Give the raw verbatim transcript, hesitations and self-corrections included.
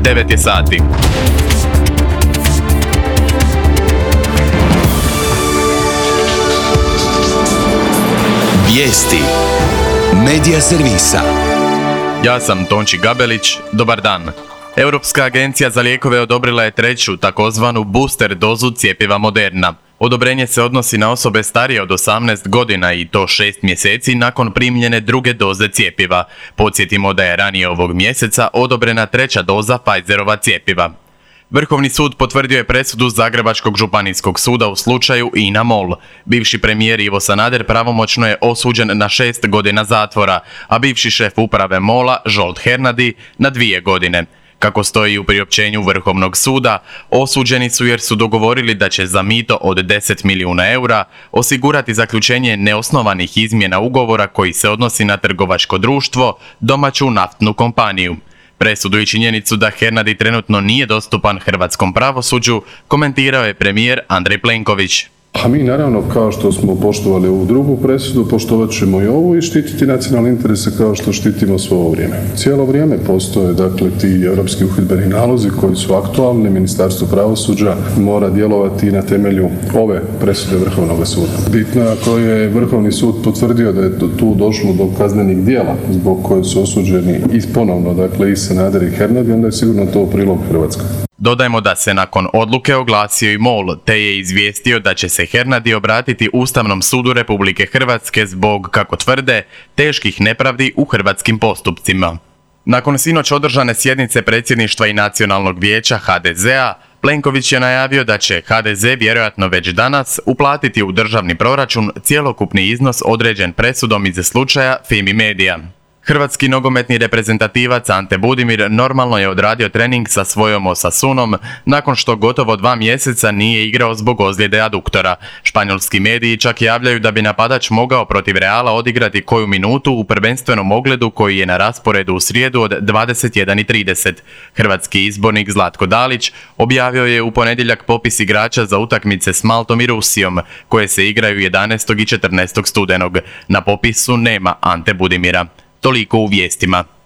devet je sati. Vijesti Medija servisa. Ja sam Tonči Gabelić, dobar dan. Europska agencija za lijekove odobrila je treću, takozvanu booster dozu cjepiva Moderna. Odobrenje se odnosi na osobe starije od osamnaest godina i to šest mjeseci nakon primljene druge doze cjepiva. Podsjetimo da je ranije ovog mjeseca odobrena treća doza Pfizerova cjepiva. Vrhovni sud potvrdio je presudu Zagrebačkog županijskog suda u slučaju INA MOL. Bivši premijer Ivo Sanader pravomoćno je osuđen na šest godina zatvora, a bivši šef uprave MOL-a Zsolt Hernadi na dvije godine. Kako stoji u priopćenju Vrhovnog suda, osuđeni su jer su dogovorili da će za mito od deset milijuna eura osigurati zaključenje neosnovanih izmjena ugovora koji se odnosi na trgovačko društvo, domaću naftnu kompaniju. Presudu i činjenicu da Hernadi trenutno nije dostupan hrvatskom pravosuđu komentirao je premijer Andrej Plenković. A mi naravno, kao što smo poštovali ovu drugu presudu, poštovat ćemo i ovu i štititi nacionalne interese kao što štitimo svo ovo vrijeme. Cijelo vrijeme postoje dakle ti europski uhidbeni nalozi koji su aktualni. Ministarstvo pravosuđa mora djelovati na temelju ove presude Vrhovnog suda. Bitno je ako je Vrhovni sud potvrdio da je tu došlo do kaznenih djela zbog koje su osuđeni i ponovno dakle i Sanader i Hernadi, onda je sigurno to u prilog Hrvatskoj. Dodajmo da se nakon odluke oglasio i MOL, te je izvijestio da će se Hernadi obratiti Ustavnom sudu Republike Hrvatske zbog, kako tvrde, teških nepravdi u hrvatskim postupcima. Nakon sinoć održane sjednice predsjedništva i Nacionalnog vijeća ha de zea, Plenković je najavio da će ha de ze vjerojatno već danas uplatiti u državni proračun cjelokupni iznos određen presudom iz slučaja Fimi Media. Hrvatski nogometni reprezentativac Ante Budimir normalno je odradio trening sa svojom Osasunom nakon što gotovo dva mjeseca nije igrao zbog ozljede aduktora. Španjolski mediji čak javljaju da bi napadač mogao protiv Reala odigrati koju minutu u prvenstvenom ogledu koji je na rasporedu u srijedu od dvadeset jedan i trideset. Hrvatski izbornik Zlatko Dalić objavio je u ponedjeljak popis igrača za utakmice s Maltom i Rusijom, koje se igraju jedanaestog i četrnaestog studenog. Na popisu nema Ante Budimira. Toliko u vijestima.